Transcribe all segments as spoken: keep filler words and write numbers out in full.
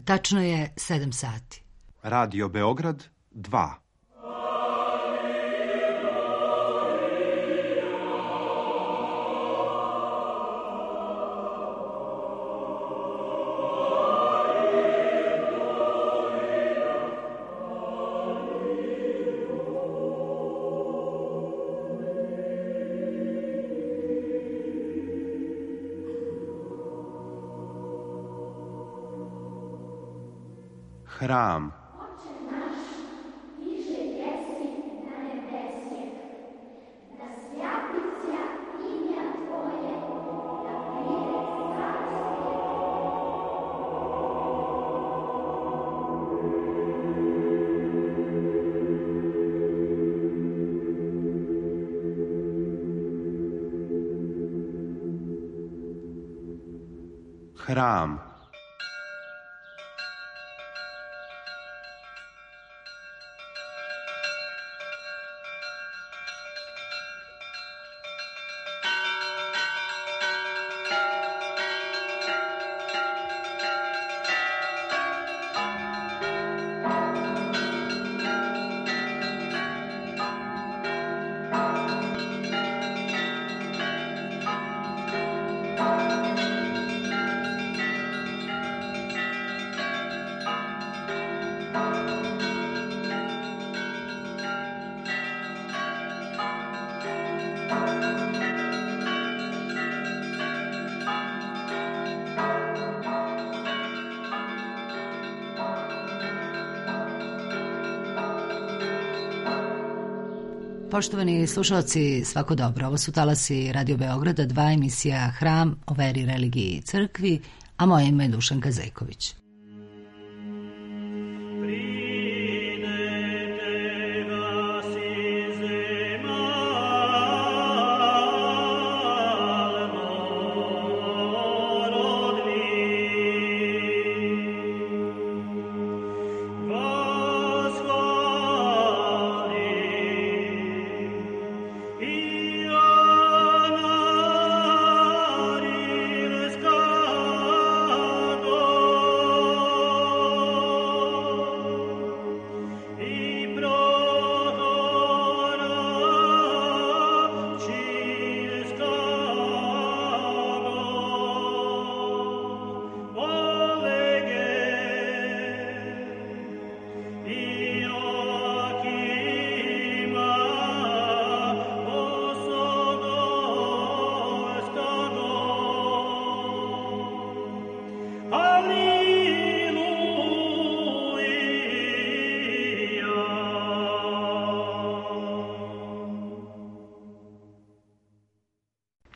Tačno je sedam sati. Radio Beograd dva. Hram. Hram. Poštovani slušalci, svako dobro. Ovo su talasi Radio Beograda dva, emisija Hram o veri, religiji i crkvi, a moje ime je Dušanka Zejković.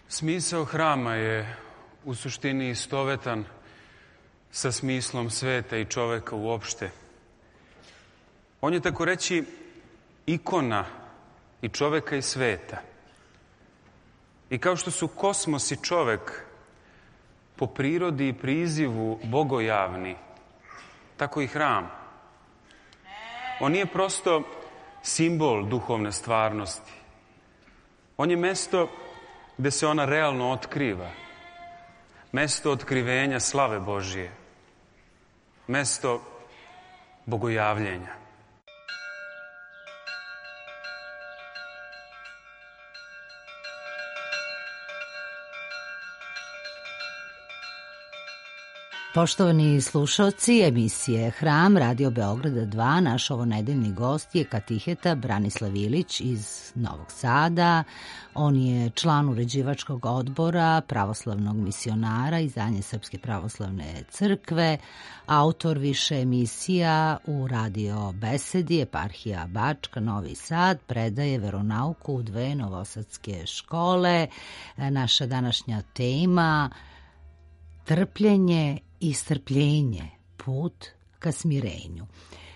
Smisao hrama je u suštini istovetan sa smislom sveta i čoveka uopšte. On je, tako reći, ikona i čoveka i sveta. I kao što su kosmos i čovek po prirodi i prizivu bogojavni, tako i hram. On nije prosto simbol duhovne stvarnosti. On je mesto gde se ona realno otkriva. Mesto otkrivenja slave Božije. Mesto bogojavljenja. Poštovani slušalci emisije Hram Radio Beograda dva, naš ovonedeljni gost je katiheta Branislav Ilić iz Novog Sada. On je član uređivačkog odbora pravoslavnog misionara izdanje Srpske pravoslavne crkve, autor više emisija u Radio Besedi, Eparhija Bačka, Novi Sad, predaje veronauku u dve novosadske škole. Naša današnja tema trpljenje i strpljenje, put ka smirenju.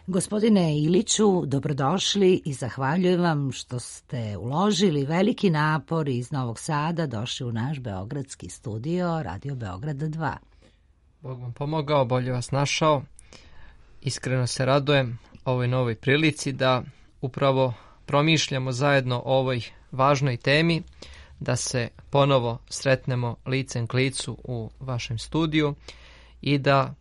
Gospodine Iliću, dobrodošli i zahvaljujem vam što ste uložili veliki napor iz Novog Sada, došli u naš beogradski studio Radio Beograda dva. Bog vam pomogao, bolje vas našao. Iskreno se radujem ovoj novoj prilici da upravo promišljamo zajedno o ovoj važnoj temi, da se ponovo sretnemo licem k licu u vašem studiju i da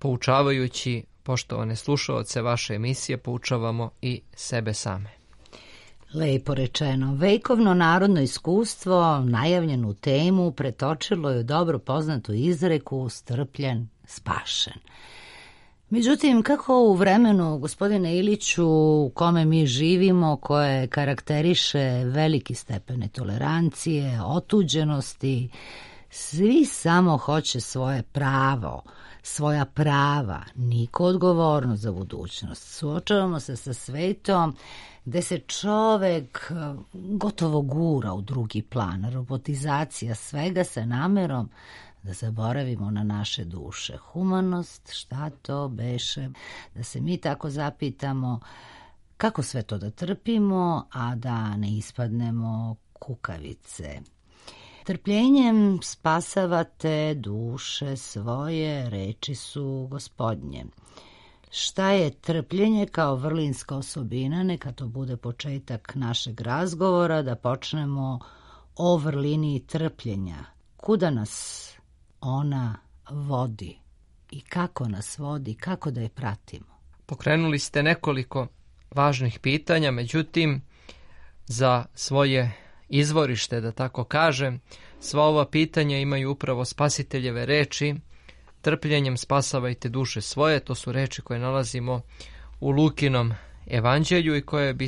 poučavajući poštovane slušaoce vaše emisije, poučavamo i sebe same. Lepo rečeno. Vekovno narodno iskustvo, najavljenu temu, pretočilo je u dobro poznatu izreku strpljen, spašen. Međutim, kako u vremenu, gospodine Iliću, u kome mi živimo, koje karakteriše veliki stepen tolerancije, otuđenosti, svi samo hoće svoje pravo, svoja prava, niko odgovornost za budućnost. Suočavamo se sa svetom gde se čovek gotovo gura u drugi plan, robotizacija svega sa namerom da zaboravimo na naše duše. Humanost, šta to beše? Da se mi tako zapitamo kako sve to da trpimo, a da ne ispadnemo kukavice. Trpljenjem spasavate duše svoje, reči su Gospodnje. Šta je trpljenje kao vrlinska osobina? Neka to bude početak našeg razgovora, da počnemo o vrlini trpljenja. Kuda nas ona vodi i kako nas vodi, kako da je pratimo? Pokrenuli ste nekoliko važnih pitanja, međutim, za svoje izvorište, da tako kažem, sva ova pitanja imaju upravo Spasiteljeve reči: trpljenjem spasavajte duše svoje. To su reči koje nalazimo u Lukinom evanđelju i koje bi,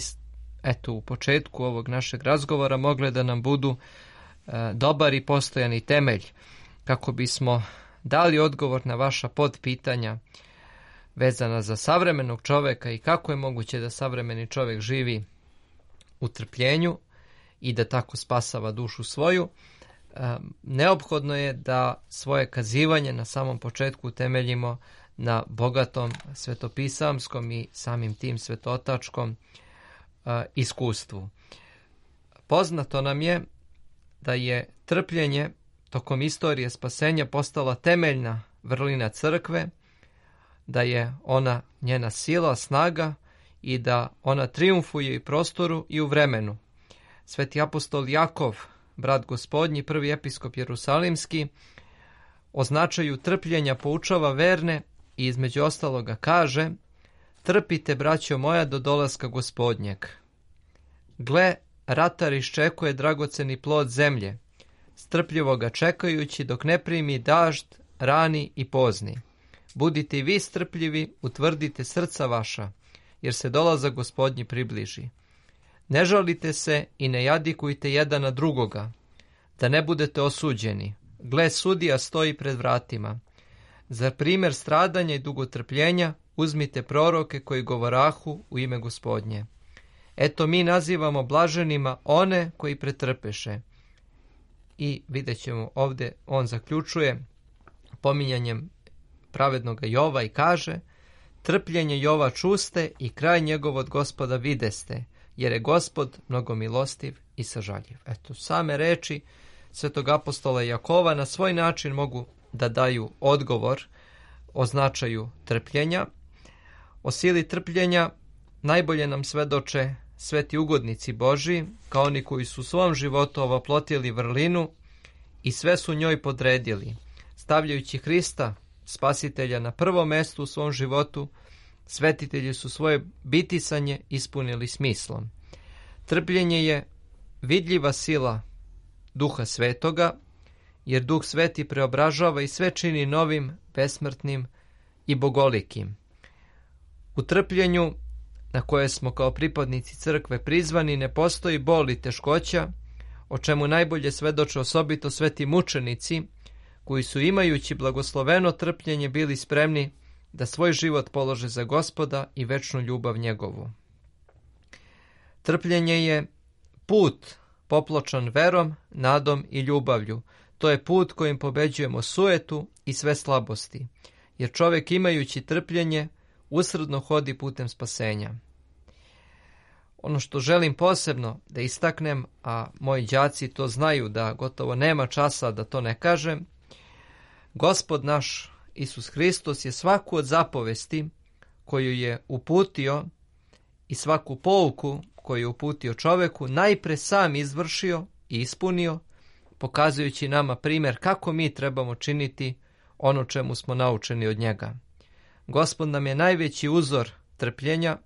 eto, u početku ovog našeg razgovora mogle da nam budu e, dobar i postojani temelj kako bismo dali odgovor na vaša podpitanja vezana za savremenog čoveka i kako je moguće da savremeni čovek živi u trpljenju i da tako spasava dušu svoju. E, neophodno je da svoje kazivanje na samom početku utemeljimo na bogatom svetopisamskom i samim tim svetotačkom e, iskustvu. Poznato nam je da je trpljenje tokom istorije spasenja postala temeljna vrlina crkve, da je ona njena sila, snaga i da ona trijumfuje i prostoru i u vremenu. Sveti apostol Jakov, brat Gospodnji, prvi episkop Jerusalimski, o značaju trpljenja poučava verne i između ostaloga kaže: trpite, braćo moja, do dolaska Gospodnjeg. Gle, ratar iščekuje dragoceni plod zemlje, strpljivo ga čekajući dok ne primi dažd, rani i pozni. Budite i vi strpljivi, utvrdite srca vaša, jer se dolazak Gospodnji približi. Ne žalite se i ne jadikujte jedan na drugoga, da ne budete osuđeni. Gle, sudija stoji pred vratima. Za primjer stradanja i dugotrpljenja uzmite proroke koji govorahu u ime Gospodnje. Eto, mi nazivamo blaženima one koji pretrpeše. I vidjet ćemo ovdje, on zaključuje pominjanjem pravednoga Jova i kaže: trpljenje Jova čuste i kraj njegov od Gospoda videste, jer je Gospod mnogo milostiv i sažaljiv. Eto, same reči svetog apostola Jakova na svoj način mogu da daju odgovor o značaju trpljenja. O sili trpljenja najbolje nam svedoče sveti ugodnici Božji, kao oni koji su u svom životu ovoplotili vrlinu i sve su njoj podredili. Stavljajući Hrista, Spasitelja, na prvo mesto u svom životu, svetitelji su svoje bitisanje ispunili smislom. Trpljenje je vidljiva sila Duha Svetoga, jer Duh Sveti preobražava i sve čini novim, besmrtnim i bogolikim. U trpljenju, na koje smo kao pripadnici crkve prizvani, ne postoji bol i teškoća, o čemu najbolje svedoče osobito sveti mučenici, koji su, imajući blagosloveno trpljenje, bili spremni da svoj život polože za Gospoda i večnu ljubav njegovu. Trpljenje je put popločan verom, nadom i ljubavlju. To je put kojim pobeđujemo sujetu i sve slabosti, jer čovjek, imajući trpljenje, usrdno hodi putem spasenja. Ono što želim posebno da istaknem, a moji đaci to znaju, da gotovo nema časa da to ne kažem, Gospod naš Isus Hristos je svaku od zapovesti koju je uputio i svaku pouku koju je uputio čoveku najpre sam izvršio i ispunio, pokazujući nama primjer kako mi trebamo činiti ono čemu smo naučeni od njega. Gospod nam je najveći uzor trpljenja,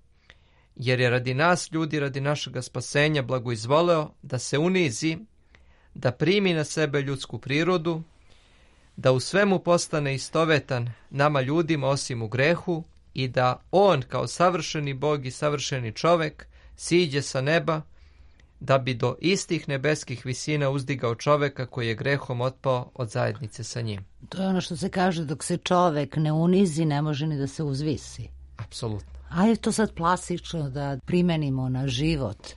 jer je radi nas ljudi, radi našega spasenja blagoizvoleo da se unizi, da primi na sebe ljudsku prirodu, da u svemu postane istovetan nama ljudima osim u grehu i da on kao savršeni Bog i savršeni čovek siđe sa neba da bi do istih nebeskih visina uzdigao čoveka koji je grehom otpao od zajednice sa njim. To je ono što se kaže, dok se čovek ne unizi, ne može ni da se uzvisi. Apsolutno. A je to sad plastično da primenimo na život.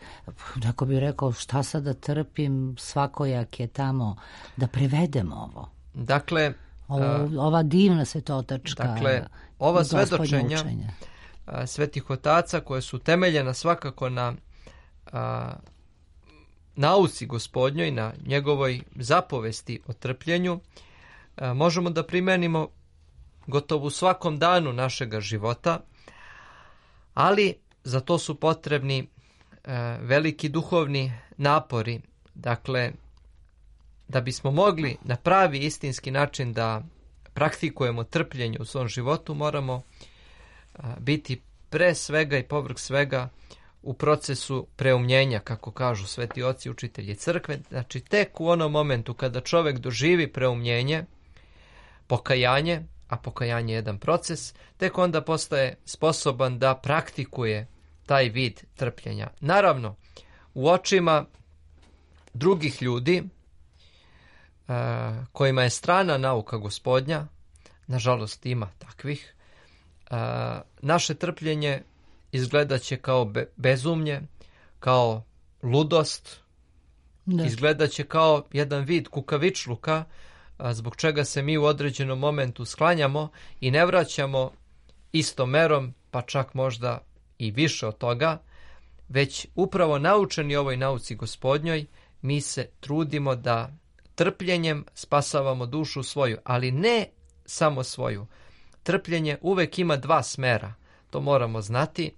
Neko bi rekao, šta sad da trpim, svakojak je tamo, da prevedemo ovo. Dakle, ovo, ova divna svetotačka, dakle, ova svedočenja učenja svetih otaca koje su temeljena svakako na a, nauci Gospodnjoj, na njegovoj zapovesti o trpljenju, a, možemo da primenimo gotovo u svakom danu našega života, ali za to su potrebni a, veliki duhovni napori. Dakle, da bismo mogli na pravi istinski način da praktikujemo trpljenje u svom životu, moramo a, biti pre svega i povrh svega u procesu preumljenja, kako kažu sveti oci učitelji crkve. Znači, tek u onom momentu kada čovek doživi preumljenje, pokajanje, a pokajanje je jedan proces, tek onda postaje sposoban da praktikuje taj vid trpljenja. Naravno, u očima drugih ljudi, kojima je strana nauka Gospodnja, nažalost ima takvih, naše trpljenje izgledaće kao be- bezumlje, kao ludost, da. Izgledaće kao jedan vid kukavičluka, zbog čega se mi u određenom momentu sklanjamo i ne vraćamo istom merom, pa čak možda i više od toga, već upravo naučeni ovoj nauci Gospodnjoj, mi se trudimo da trpljenjem spasavamo dušu svoju, ali ne samo svoju. Trpljenje uvek ima dva smera, to moramo znati,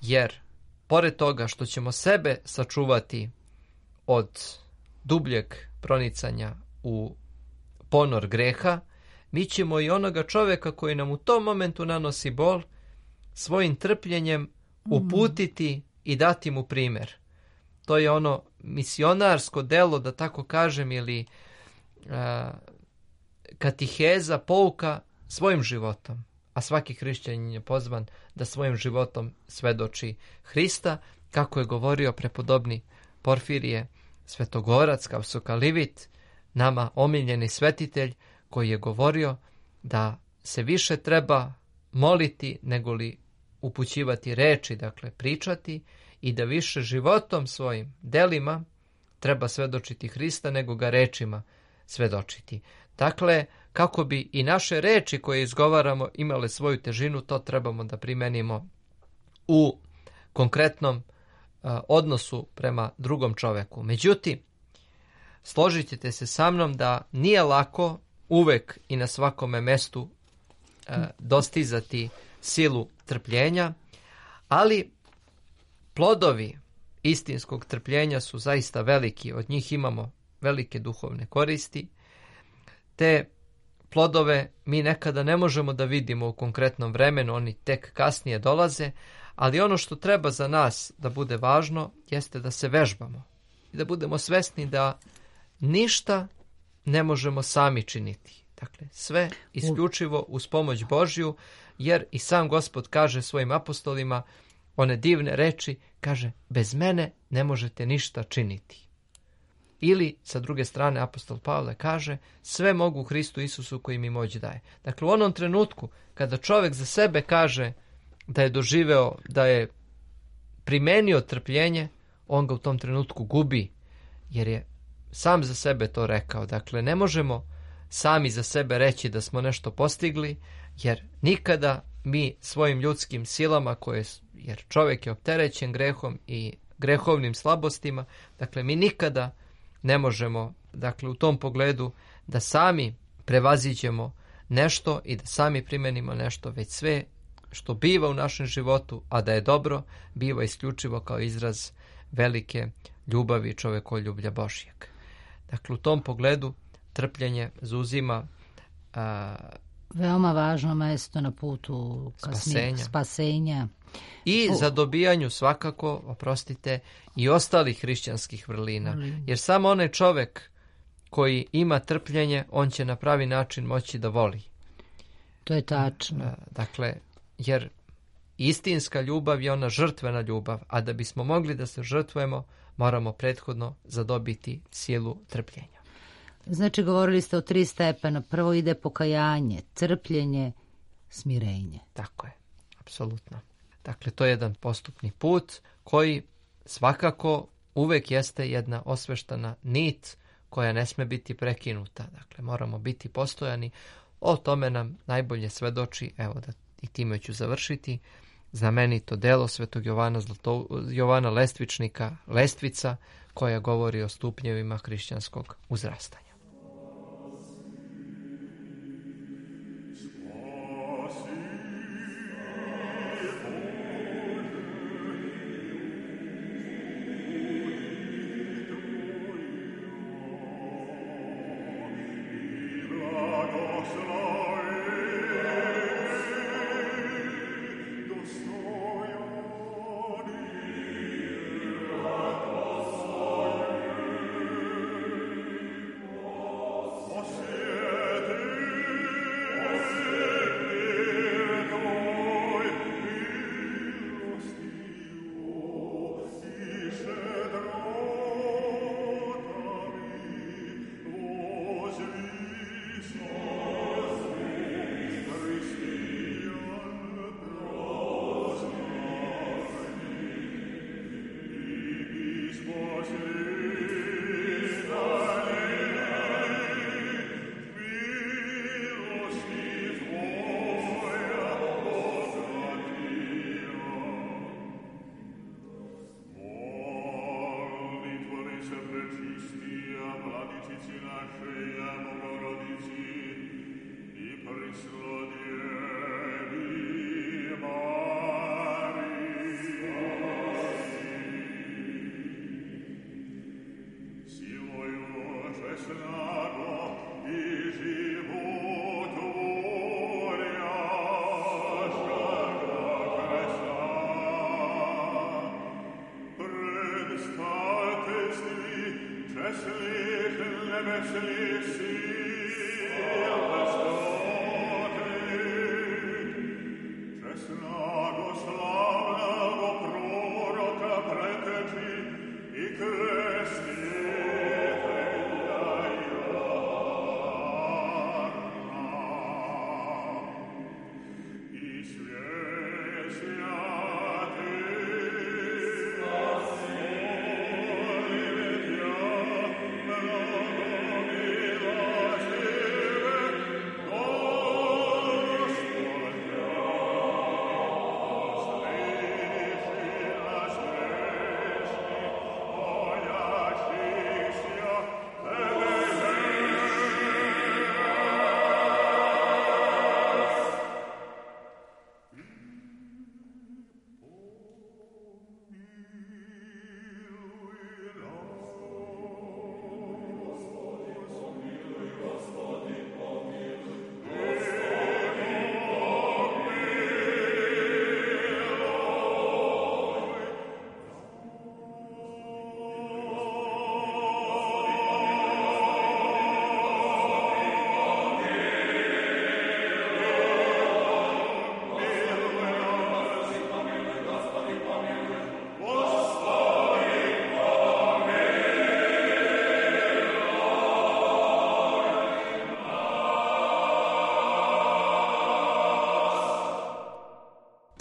jer pored toga što ćemo sebe sačuvati od dubljeg pronicanja u ponor greha, mi ćemo i onoga čoveka koji nam u tom momentu nanosi bol svojim trpljenjem uputiti i dati mu primer. To je ono misionarsko delo, da tako kažem, ili a, katiheza, pouka svojim životom. A svaki hrišćanin je pozvan da svojim životom svedoči Hrista, kako je govorio prepodobni Porfirije Svetogorac, kao Sokalivit, nama omiljeni svetitelj, koji je govorio da se više treba moliti nego li upućivati reči, dakle pričati, i da više životom svojim delima treba svedočiti Hrista nego ga rečima svedočiti. Dakle, kako bi i naše reči koje izgovaramo imale svoju težinu, to trebamo da primenimo u konkretnom a, odnosu prema drugom čoveku. Međutim, složit ćete se sa mnom da nije lako uvek i na svakome mestu a, dostizati silu trpljenja, ali plodovi istinskog trpljenja su zaista veliki, od njih imamo velike duhovne koristi. Te plodove mi nekada ne možemo da vidimo u konkretnom vremenu, oni tek kasnije dolaze, ali ono što treba za nas da bude važno jeste da se vežbamo i da budemo svesni da ništa ne možemo sami činiti. Dakle, sve isključivo uz pomoć Božju, jer i sam Gospod kaže svojim apostolima one divne reči, kaže, bez mene ne možete ništa činiti. Ili, sa druge strane, apostol Pavle kaže, sve mogu u Hristu Isusu koji mi moć daje. Dakle, u onom trenutku kada čovjek za sebe kaže da je doživeo, da je primenio trpljenje, on ga u tom trenutku gubi, jer je sam za sebe to rekao. Dakle, ne možemo sami za sebe reći da smo nešto postigli, jer nikada mi svojim ljudskim silama, koje, jer čovjek je opterećen grehom i grehovnim slabostima, dakle, mi nikada ne možemo, dakle, u tom pogledu da sami prevaziđemo nešto i da sami primenimo nešto, već sve što biva u našem životu, a da je dobro, biva isključivo kao izraz velike ljubavi i čovekoljublja Božjeg. Dakle, u tom pogledu trpljenje zauzima a, Veoma važno mesto na putu spasenja. spasenja. I za dobijanju svakako, oprostite, i ostalih hrišćanskih vrlina. Jer samo onaj čovek koji ima trpljenje, on će na pravi način moći da voli. To je tačno. Dakle, jer istinska ljubav je ona žrtvena ljubav, a da bismo mogli da se žrtvujemo, moramo prethodno zadobiti silu trpljenja. Znači, govorili ste o tri stepena. Prvo ide pokajanje, trpljenje, smirenje. Tako je, apsolutno. Dakle, to je jedan postupni put koji svakako uvek jeste jedna osveštana nit koja ne sme biti prekinuta. Dakle, moramo biti postojani. O tome nam najbolje svedoči, evo da i time ću završiti, znamenito delo svetog Jovana, Zlato, Jovana Lestvičnika, Lestvica, koja govori o stupnjevima hrišćanskog uzrastanja.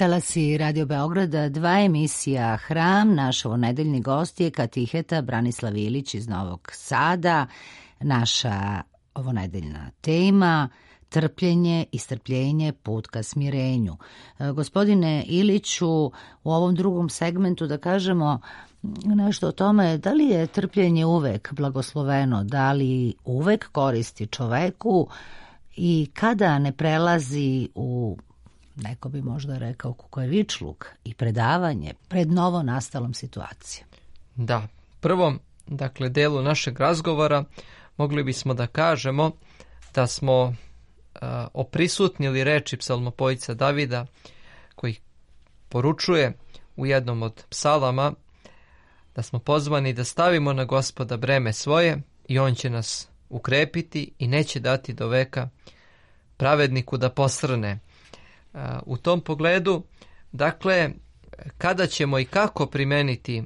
Talasi Radio Beograda, dva emisija Hram, naš ovonedeljni gost je katiheta Branislav Ilić iz Novog Sada. Naša ovonedeljna tema trpljenje i strpljenje, put ka smirenju. Gospodine Iliću, u ovom drugom segmentu da kažemo nešto o tome, da li je trpljenje uvek blagosloveno, da li uvek koristi čoveku i kada ne prelazi u, neko bi možda rekao, kukavičluk i predavanje pred novo nastalom situacijom. Da, prvom, dakle, delu našeg razgovora mogli bismo da kažemo da smo a, oprisutnili reči psalmopojca Davida, koji poručuje u jednom od psalama da smo pozvani da stavimo na Gospoda breme svoje i on će nas ukrepiti i neće dati do veka pravedniku da posrne. U tom pogledu, dakle, kada ćemo i kako primeniti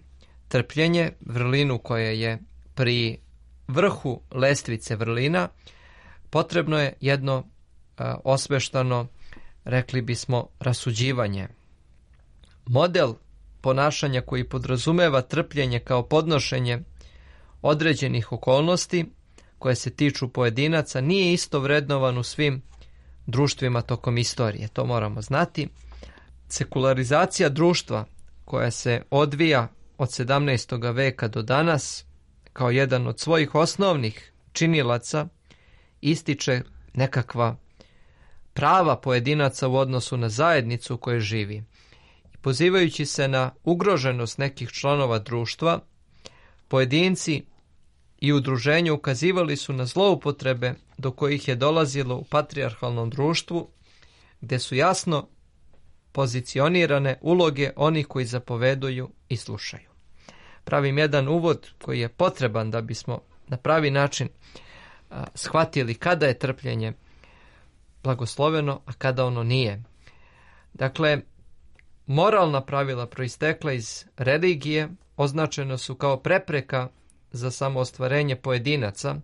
trpljenje, vrlinu koja je pri vrhu lestvice vrlina, potrebno je jedno osveštano, rekli bismo, rasuđivanje. Model ponašanja koji podrazumeva trpljenje kao podnošenje određenih okolnosti koje se tiču pojedinaca nije isto vrednovan u svim društvima tokom istorije. To moramo znati. Sekularizacija društva koja se odvija od sedamnaestog veka do danas kao jedan od svojih osnovnih činilaca ističe nekakva prava pojedinaca u odnosu na zajednicu u kojoj živi. Pozivajući se na ugroženost nekih članova društva, pojedinci i udruženja ukazivali su na zloupotrebe do kojih je dolazilo u patrijarhalnom društvu, gde su jasno pozicionirane uloge onih koji zapoveduju i slušaju. Pravim jedan uvod koji je potreban da bismo na pravi način a, shvatili kada je trpljenje blagosloveno, a kada ono nije. Dakle, moralna pravila proistekla iz religije označena su kao prepreka za samoostvarenje pojedinaca,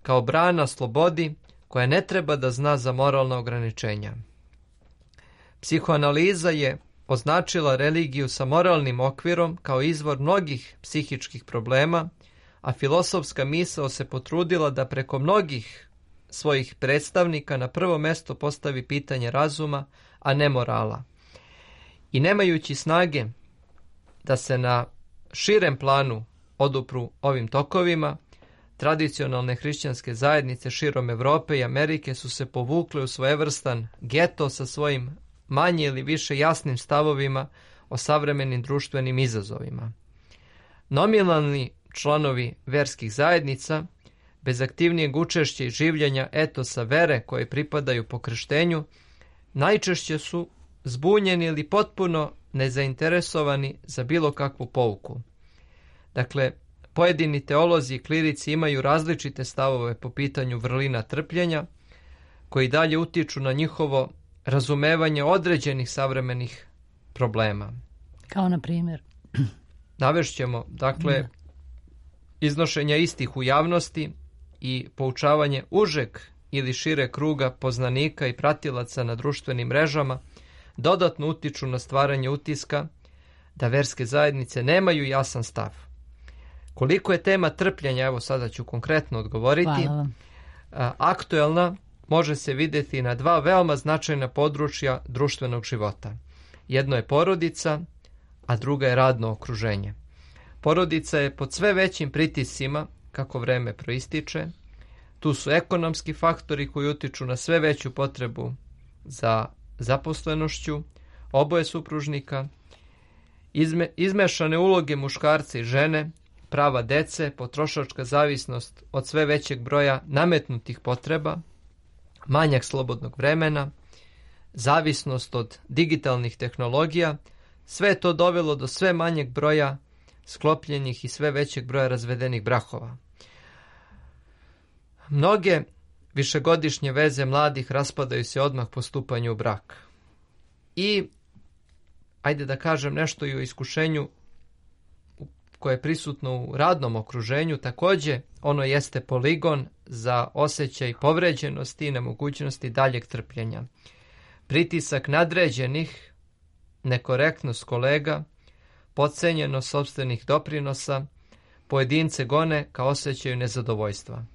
kao brana slobodi koja ne treba da zna za moralna ograničenja. Psihoanaliza je označila religiju sa moralnim okvirom kao izvor mnogih psihičkih problema, a filosofska misao se potrudila da preko mnogih svojih predstavnika na prvo mesto postavi pitanje razuma, a ne morala. I nemajući snage da se na širem planu odupru ovim tokovima, tradicionalne hrišćanske zajednice širom Evrope i Amerike su se povukle u svojevrstan geto sa svojim manje ili više jasnim stavovima o savremenim društvenim izazovima. Nominalni članovi verskih zajednica, bez aktivnijeg učešća i življenja etosa vere koje pripadaju po krštenju, najčešće su zbunjeni ili potpuno nezainteresovani za bilo kakvu pouku. Dakle, pojedini teolozi i klirici imaju različite stavove po pitanju vrlina trpljenja, koji dalje utiču na njihovo razumevanje određenih savremenih problema. Kao na primjer? Navešćemo, dakle, iznošenja istih u javnosti i poučavanje užeg ili šire kruga poznanika i pratilaca na društvenim mrežama dodatno utiču na stvaranje utiska da verske zajednice nemaju jasan stav. Koliko je tema trpljenja, evo sada ću konkretno odgovoriti, aktuelna, može se vidjeti na dva veoma značajna područja društvenog života. Jedno je porodica, a druga je radno okruženje. Porodica je pod sve većim pritiscima kako vreme proističe. Tu su ekonomski faktori koji utiču na sve veću potrebu za zaposlenošću oboje supružnika, izme, izmešane uloge muškarca i žene, prava dece, potrošačka zavisnost od sve većeg broja nametnutih potreba, manjak slobodnog vremena, zavisnost od digitalnih tehnologija, sve je to dovelo do sve manjeg broja sklopljenih i sve većeg broja razvedenih brakova. Mnoge višegodišnje veze mladih raspadaju se odmah po stupanju u brak. I, ajde da kažem nešto i o iskušenju koje je prisutno u radnom okruženju, također ono jeste poligon za osjećaj povređenosti i nemogućnosti daljeg trpljenja. Pritisak nadređenih, nekorektnost kolega, podcenjenost sopstvenih doprinosa, pojedince gone ka osjećaju nezadovoljstva.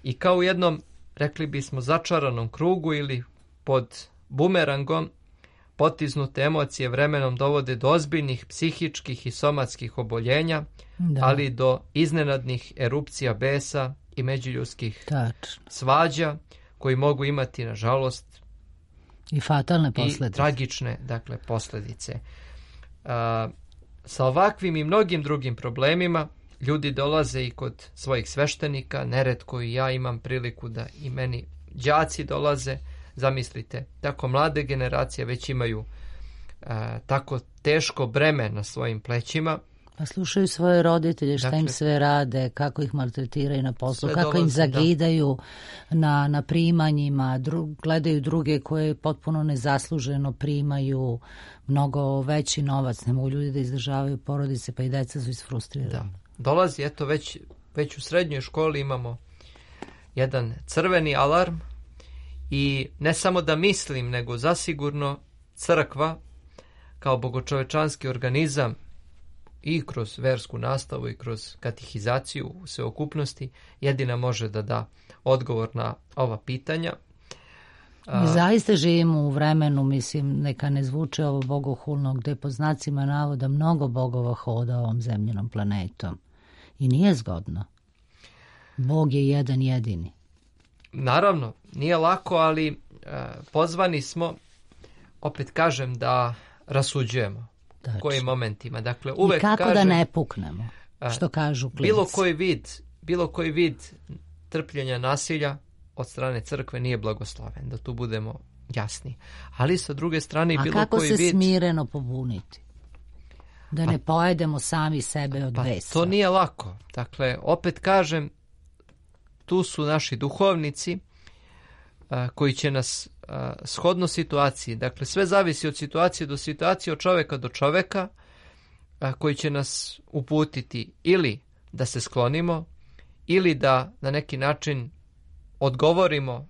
I kao u jednom, rekli bismo, začaranom krugu ili pod bumerangom, potiznute emocije vremenom dovode do ozbiljnih psihičkih i somatskih oboljenja, da. ali i do iznenadnih erupcija besa i međuljudskih Tačno. svađa, koji mogu imati, nažalost, i fatalne posljedice. I tragične, dakle, posljedice. A, sa ovakvim i mnogim drugim problemima ljudi dolaze i kod svojih sveštenika, neretko i ja imam priliku da i meni đaci dolaze, zamislite, tako mlade generacije već imaju uh, tako teško breme na svojim plećima. Pa slušaju svoje roditelje, šta Dakle, im sve rade, kako ih maltretiraju na poslu, kako dolazi, im zagidaju na, na primanjima, dru, gledaju druge koje potpuno nezasluženo primaju mnogo veći novac, ne mogu ljudi da izdržavaju porodice, pa i deca su isfrustrirani. Da. Dolazi, eto, već, već u srednjoj školi imamo jedan crveni alarm i ne samo da mislim, nego zasigurno crkva kao bogočovečanski organizam i kroz versku nastavu i kroz katehizaciju u sveokupnosti jedina može da da odgovor na ova pitanja. Mi zaista živimo u vremenu, mislim, neka ne zvuče ovo bogohulno, gde po znacima navoda mnogo bogova hoda ovom zemljenom planetom. I nije zgodno. Bog je jedan jedini. Naravno, nije lako, ali e, pozvani smo, opet kažem, da rasuđujemo. Tačno. U kojim momentima. Dakle, uvek I kako kažem, da ne puknemo, što kažu klinci. Bilo koji vid, bilo koji vid trpljenja nasilja od strane crkve nije blagosloven, da tu budemo jasni. Ali sa druge strane A bilo kako koji se vid... smireno pobuniti? Da pa, ne pojedemo sami sebe od pa, besa. To nije lako. Dakle, opet kažem, tu su naši duhovnici a, koji će nas a, shodno situaciji, dakle sve zavisi od situacije do situacije, od čoveka do čoveka, a, koji će nas uputiti ili da se sklonimo, ili da na neki način odgovorimo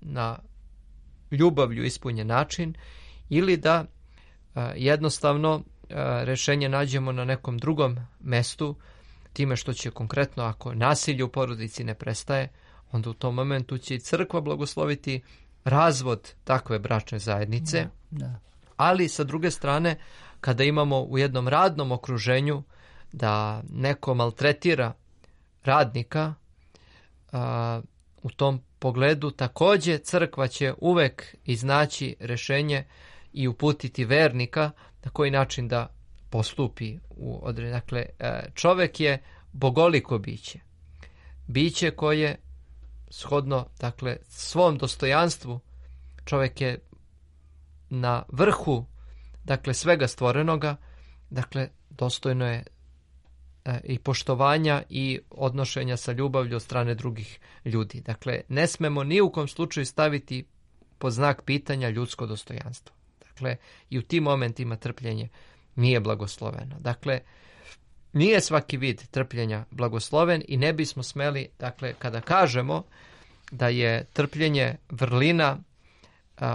na ljubavlju ispunjen način, ili da a, jednostavno a, rešenje nađemo na nekom drugom mestu, time što će konkretno, ako nasilje u porodici ne prestaje, onda u tom momentu će i crkva blagosloviti razvod takve bračne zajednice. Da, da. Ali sa druge strane, kada imamo u jednom radnom okruženju da neko maltretira radnika, a, u tom pogledu takođe crkva će uvek iznaći rešenje i uputiti vernika na koji način da postupi u određenju. Dakle, čovek je bogoliko biće. Biće koje shodno, dakle, svom dostojanstvu, čovek je na vrhu, dakle, svega stvorenoga, dakle, dostojno je e, i poštovanja i odnošenja sa ljubavlju od strane drugih ljudi. Dakle, ne smemo ni u kom slučaju staviti pod znak pitanja ljudsko dostojanstvo. Dakle, i u tim momentima trpljenje nije blagosloveno. Dakle, nije svaki vid trpljenja blagosloven i ne bismo smeli, dakle, kada kažemo da je trpljenje vrlina,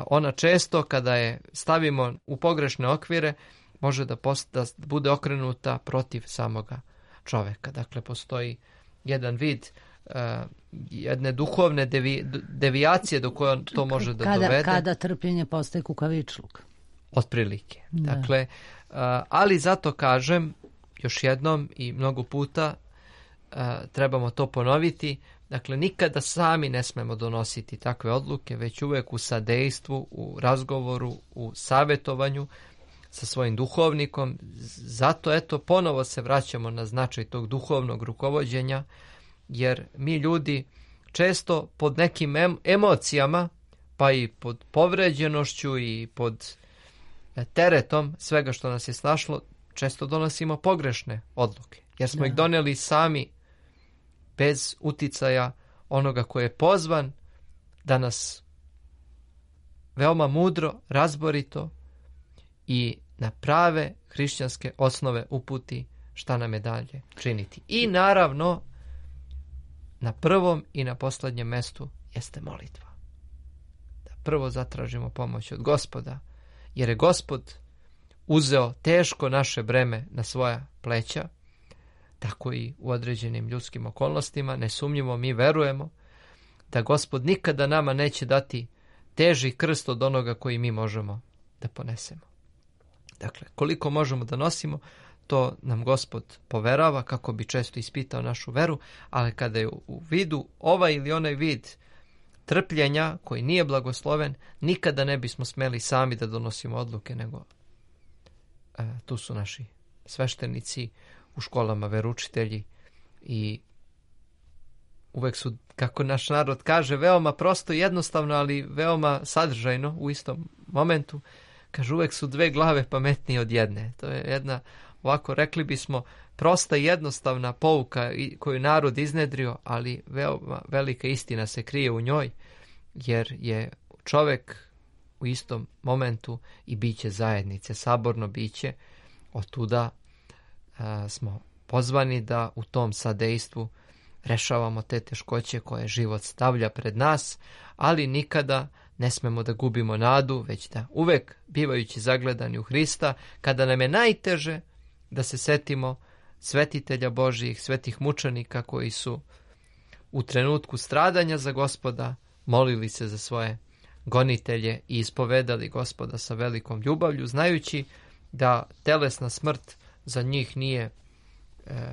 ona često kada je stavimo u pogrešne okvire može da, post, da bude okrenuta protiv samoga čoveka. Dakle, postoji jedan vid uh, jedne duhovne devi, devijacije do koje to može da kada, dovede. Kada trpljenje postaje kukavičluk. Otprilike. Da. Dakle, uh, ali zato kažem još jednom i mnogo puta uh, trebamo to ponoviti. Dakle, nikada sami ne smemo donositi takve odluke, već uvek u sadejstvu, u razgovoru, u savjetovanju sa svojim duhovnikom. Zato, eto, ponovo se vraćamo na značaj tog duhovnog rukovođenja, jer mi ljudi često pod nekim em- emocijama, pa i pod povređenošću i pod teretom svega što nas je snašlo, često donosimo pogrešne odluke, jer smo da. ih doneli sami bez uticaja onoga koji je pozvan da nas veoma mudro, razborito i na prave hrišćanske osnove uputi šta nam je dalje činiti. I naravno, na prvom i na poslednjem mestu jeste molitva. Da prvo zatražimo pomoć od Gospoda, jer je Gospod uzeo teško naše breme na svoja pleća, tako i u određenim ljudskim okolnostima. Nesumnjivo mi verujemo da Gospod nikada nama neće dati teži krst od onoga koji mi možemo da ponesemo. Dakle, koliko možemo da nosimo, to nam Gospod poverava kako bi često ispitao našu veru, ali kada je u vidu ovaj ili onaj vid trpljenja koji nije blagosloven, nikada ne bismo smeli sami da donosimo odluke, nego e, tu su naši sveštenici, u školama veručitelji i uvek su, kako naš narod kaže, veoma prosto i jednostavno, ali veoma sadržajno u istom momentu. Kaže, uvek su dve glave pametnije od jedne. To je jedna, ovako rekli bismo, prosta i jednostavna pouka koju narod iznedrio, ali veoma velika istina se krije u njoj, jer je čovek u istom momentu i biće zajednice, saborno biće. Otuda a, smo pozvani da u tom sadejstvu rešavamo te teškoće koje život stavlja pred nas, ali nikada ne smemo da gubimo nadu, već da uvek, bivajući zagledani u Hrista, kada nam je najteže, da se setimo svetitelja Božijih, svetih mučenika koji su u trenutku stradanja za Gospoda molili se za svoje gonitelje i ispovedali Gospoda sa velikom ljubavlju, znajući da telesna smrt za njih nije e,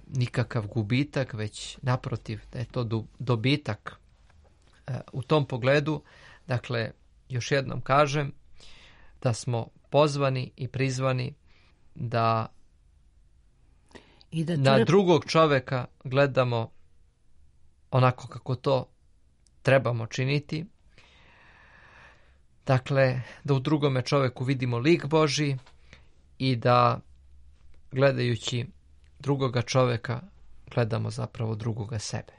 nikakav gubitak, već naprotiv da je to do, dobitak. E, u tom pogledu, dakle, još jednom kažem da smo pozvani i prizvani da, I da na drugog čoveka gledamo onako kako to trebamo činiti. Dakle, da u drugome čoveku vidimo lik Božji i da gledajući drugoga čoveka gledamo zapravo drugoga sebe.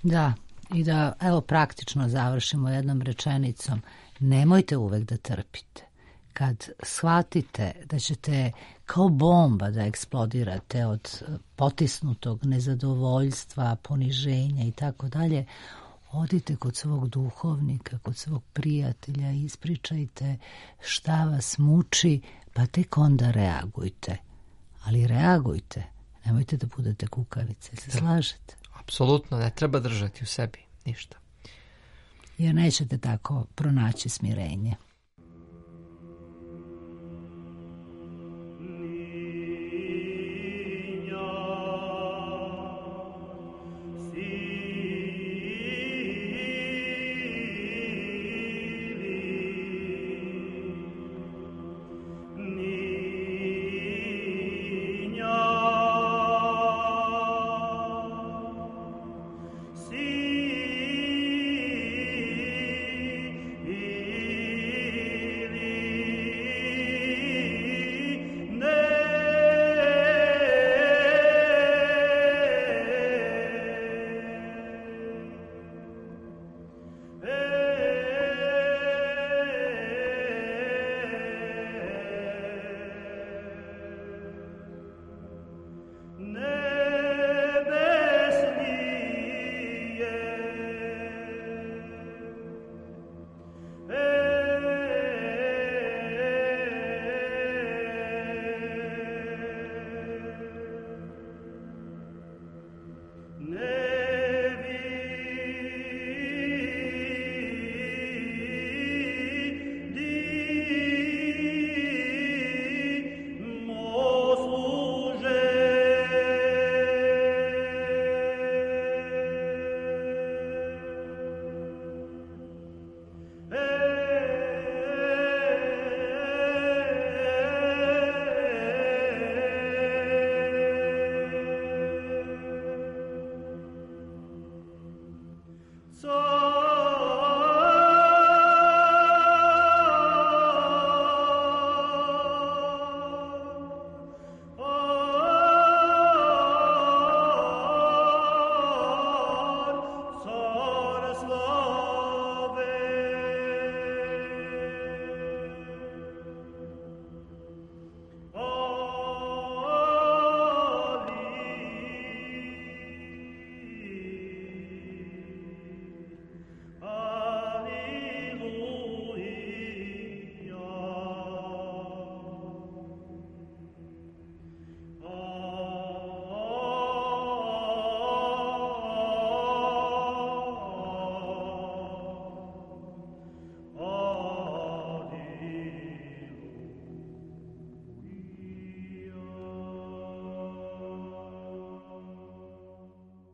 Da, i da evo praktično završimo jednom rečenicom. Nemojte uvek da trpite. Kad shvatite da ćete kao bomba da eksplodirate od potisnutog nezadovoljstva, poniženja i tako dalje, odite kod svog duhovnika, kod svog prijatelja, ispričajte šta vas muči, pa tek onda reagujte. Ali reagujte, nemojte da budete kukavice, se slažete? Apsolutno, ne treba držati u sebi ništa. Jer nećete tako pronaći smirenje.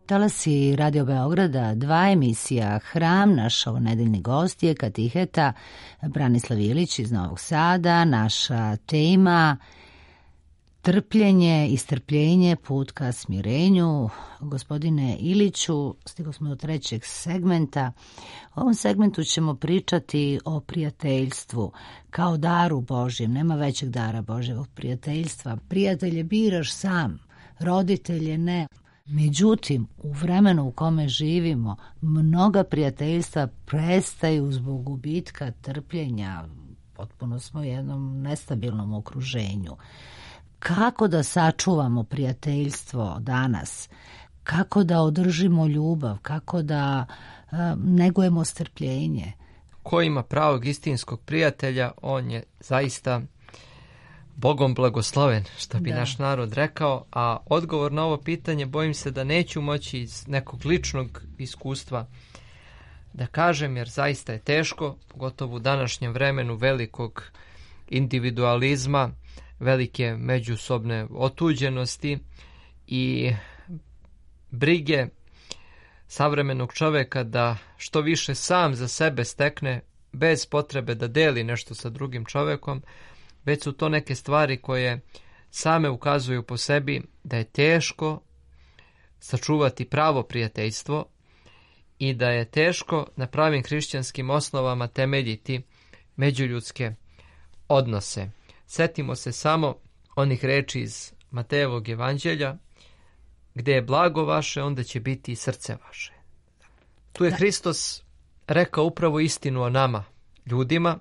Talasi Radio Beograda, dva emisija Hram, naš ovonedeljni gost je katiheta Branislav Ilić iz Novog Sada, naša tema Trpljenje i strpljenje, put ka smirenju. Gospodine Iliću, stigli smo do trećeg segmenta. U ovom segmentu ćemo pričati o prijateljstvu kao daru Božjem. Nema većeg dara Božjevog prijateljstva. Prijatelje biraš sam, roditelje ne. Međutim, u vremenu u kome živimo, mnoga prijateljstva prestaju zbog gubitka trpljenja. Potpuno smo u jednom nestabilnom okruženju. Kako da sačuvamo prijateljstvo danas? Kako da održimo ljubav? Kako da uh, negujemo strpljenje? Ko ima pravog istinskog prijatelja, on je zaista Bogom blagosloven, što bi da. naš narod rekao, a odgovor na ovo pitanje bojim se da neću moći iz nekog ličnog iskustva da kažem, jer zaista je teško, pogotovo u današnjem vremenu velikog individualizma, velike međusobne otuđenosti i brige savremenog čoveka da što više sam za sebe stekne bez potrebe da deli nešto sa drugim čovekom, već su to neke stvari koje same ukazuju po sebi da je teško sačuvati pravo prijateljstvo i da je teško na pravim hrišćanskim osnovama temeljiti međuljudske odnose. Setimo se samo onih reči iz Matejevog evanđelja, gdje je blago vaše, onda će biti i srce vaše. Tu je Hristos rekao upravo istinu o nama, ljudima,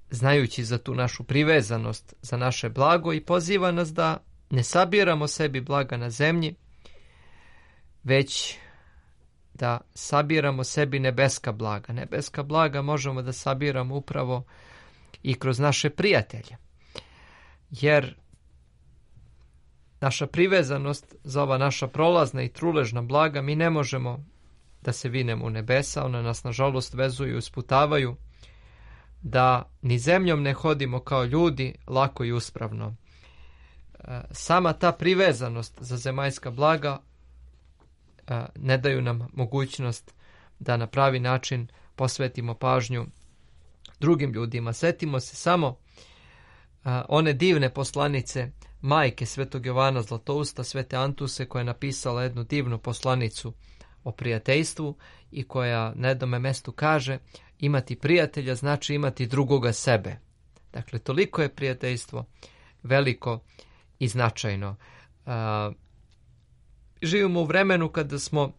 znajući za tu našu privezanost za naše blago i poziva nas da ne sabiramo sebi blaga na zemlji, već da sabiramo sebi nebeska blaga. Nebeska blaga možemo da sabiramo upravo i kroz naše prijatelje. Jer naša privezanost za ova naša prolazna i truležna blaga, mi ne možemo da se vinemo u nebesa, ona nas nažalost vezuju i usputavaju da ni zemljom ne hodimo kao ljudi lako i uspravno. Sama ta privezanost za zemaljska blaga ne daju nam mogućnost da na pravi način posvetimo pažnju drugim ljudima. Setimo se samo one divne poslanice majke Svetog Jovana Zlatousta, Svete Antuse, koja je napisala jednu divnu poslanicu o prijateljstvu i koja na jednome mestu kaže: imati prijatelja znači imati drugoga sebe. Dakle, toliko je prijateljstvo veliko i značajno. A, živimo u vremenu kada smo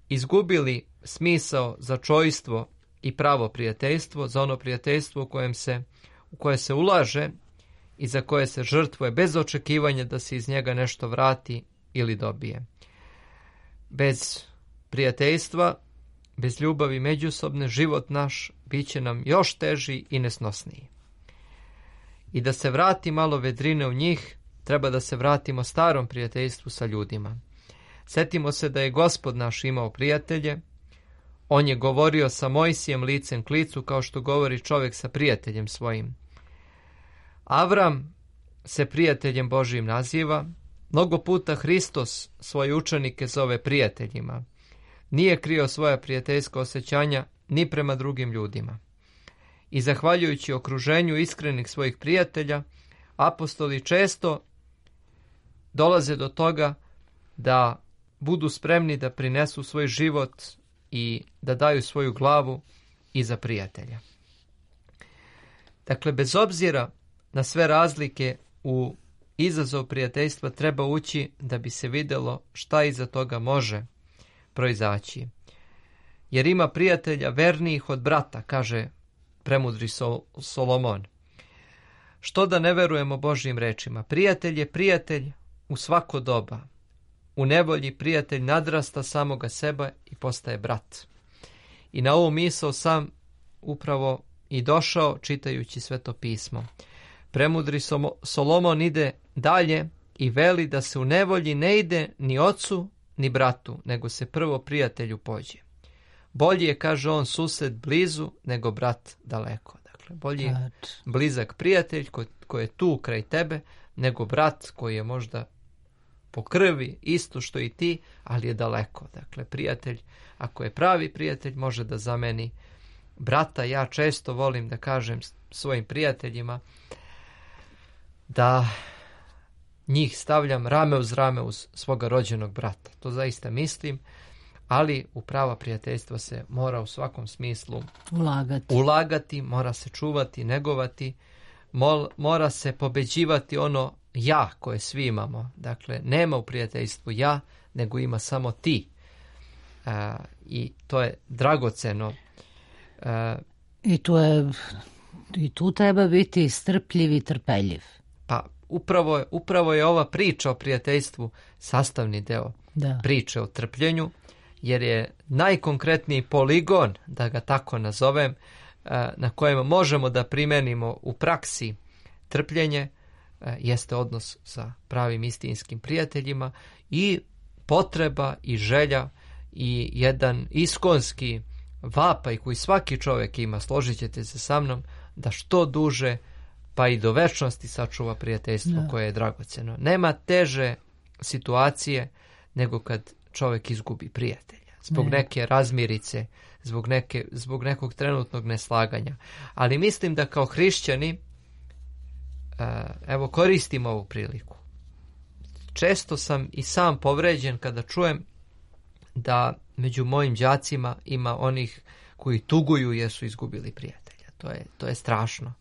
izgubili smisao za čojstvo i pravo prijateljstvo, za ono prijateljstvo u kojem se, u koje se ulaže i za koje se žrtvuje bez očekivanja da se iz njega nešto vrati ili dobije. Bez prijateljstva, bez ljubavi međusobne, život naš bit će nam još teži i nesnosniji. I da se vrati malo vedrine u njih, treba da se vratimo starom prijateljstvu sa ljudima. Setimo se da je Gospod naš imao prijatelje. On je govorio sa Mojsijem licem k licu, kao što govori čovjek sa prijateljem svojim. Avram se prijateljem Božijim naziva. Mnogo puta Hristos svoje učenike zove prijateljima. Nije krio svoja prijateljska osjećanja ni prema drugim ljudima. I zahvaljujući okruženju iskrenih svojih prijatelja, apostoli često dolaze do toga da budu spremni da prinesu svoj život i da daju svoju glavu i za prijatelja. Dakle, bez obzira na sve razlike u izazov prijateljstva treba ući da bi se vidjelo šta iza toga može proizaći. Jer ima prijatelja vernijih od brata, kaže premudri Sol- Solomon. Što da ne verujemo Božjim rečima? Prijatelj je prijatelj u svako doba. U nevolji prijatelj nadrasta samoga sebe i postaje brat. I na ovu misao sam upravo i došao čitajući Sveto pismo. Premudri Solomon ide dalje i veli da se u nevolji ne ide ni ocu ni bratu, nego se prvo prijatelju pođe. Bolji je, kaže on, sused blizu nego brat daleko. Dakle, bolji je blizak prijatelj koji, koji je tu kraj tebe, nego brat koji je možda po krvi isto što i ti, ali je daleko. Dakle, prijatelj, ako je pravi prijatelj, može da zameni brata. Ja često volim da kažem svojim prijateljima da njih stavljam rame uz rame uz svoga rođenog brata. To zaista mislim, ali u prava prijateljstva se mora u svakom smislu ulagati, ulagati mora se čuvati, negovati, mol, mora se pobeđivati ono ja koje svi imamo. Dakle, nema u prijateljstvu ja, nego ima samo ti. Uh, I to je dragoceno. Uh, I tu je, i tu treba biti strpljiv i trpeljiv. Pa upravo je, upravo je ova priča o prijateljstvu sastavni deo da. priče o trpljenju, jer je najkonkretniji poligon, da ga tako nazovem, na kojem možemo da primenimo u praksi trpljenje, jeste odnos sa pravim istinskim prijateljima i potreba i želja i jedan iskonski vapaj koji svaki čovjek ima, složit ćete se sa mnom, da što duže pa i do večnosti sačuva prijateljstvo da. koje je dragoceno. Nema teže situacije nego kad čovjek izgubi prijatelja. Zbog ne. neke razmirice, zbog, neke, zbog nekog trenutnog neslaganja. Ali mislim da kao hrišćani, evo koristim ovu priliku. Često sam i sam povređen kada čujem da među mojim đacima ima onih koji tuguju jer su izgubili prijatelja. To je, to je strašno.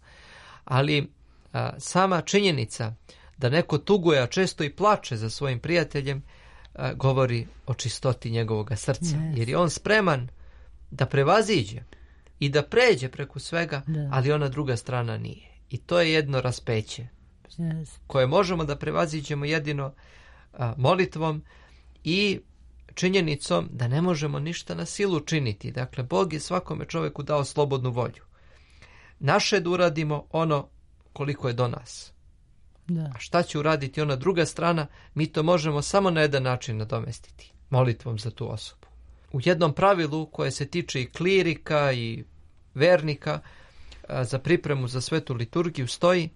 Ali a, sama činjenica da neko tuguje, a često i plače za svojim prijateljem, a, govori o čistoti njegovog srca. Yes. Jer je on spreman da prevaziđe i da pređe preko svega, da. ali ona druga strana nije. I to je jedno raspeće yes. koje možemo da prevaziđemo jedino a, molitvom i činjenicom da ne možemo ništa na silu činiti. Dakle, Bog je svakome čovjeku dao slobodnu volju. Naše je da uradimo ono koliko je do nas. Da. A šta će uraditi ona druga strana, mi to možemo samo na jedan način nadomestiti. Molitvom za tu osobu. U jednom pravilu koje se tiče i klirika i vernika a, za pripremu za svetu liturgiju stoji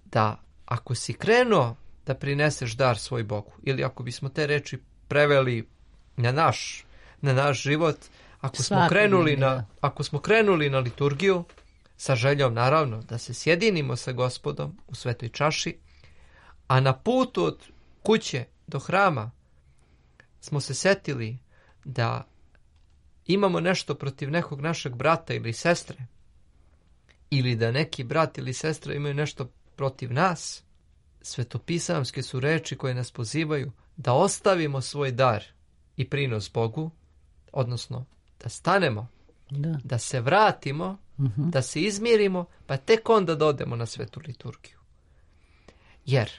da ako si krenuo da prineseš dar svoj Bogu, ili ako bismo te reči preveli na naš, na naš život, ako smo, krenuli na, ako smo krenuli na liturgiju, sa željom naravno da se sjedinimo sa Gospodom u svetoj čaši, a na putu od kuće do hrama smo se setili da imamo nešto protiv nekog našeg brata ili sestre, ili da neki brat ili sestra imaju nešto protiv nas, svetopisamske su reči koje nas pozivaju da ostavimo svoj dar i prinos Bogu, odnosno da stanemo, da, da se vratimo, uh-huh. da se izmirimo, pa tek onda da odemo na svetu liturgiju. Jer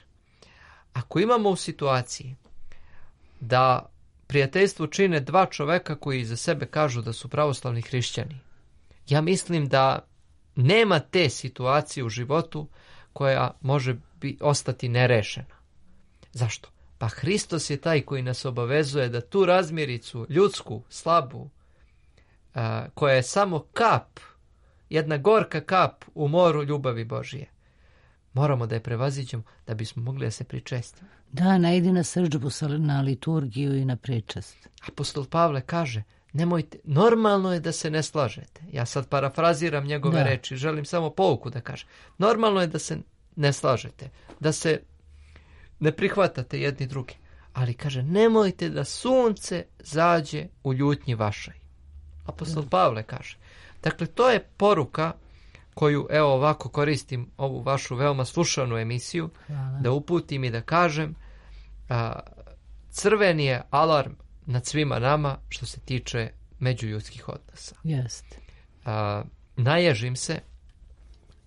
ako imamo u situaciji da prijateljstvo čine dva čoveka koji za sebe kažu da su pravoslavni hrišćani, ja mislim da nema te situacije u životu koja može bi ostati nerešena. Zašto? Pa Hristos je taj koji nas obavezuje da tu razmiricu, ljudsku, slabu, a, koja je samo kap, jedna gorka kap u moru ljubavi Božije, moramo da je prevaziđemo da bismo mogli da se pričestimo. Da, ne idi na srdžbu, na liturgiju i na pričest. Apostol Pavle kaže, nemojte, normalno je da se ne slažete. Ja sad parafraziram njegove da. reči, želim samo pouku da kažem. Normalno je da se ne slažete, da se ne prihvatate jedni drugi. Ali kaže, nemojte da sunce zađe u ljutnji vašoj. Apostol Pavle kaže. Dakle, to je poruka koju, evo ovako koristim ovu vašu veoma slušanu emisiju, Hvala. da uputim i da kažem, a, crveni je alarm nad svima nama što se tiče međuljudskih odnosa. Jeste. A, naježim se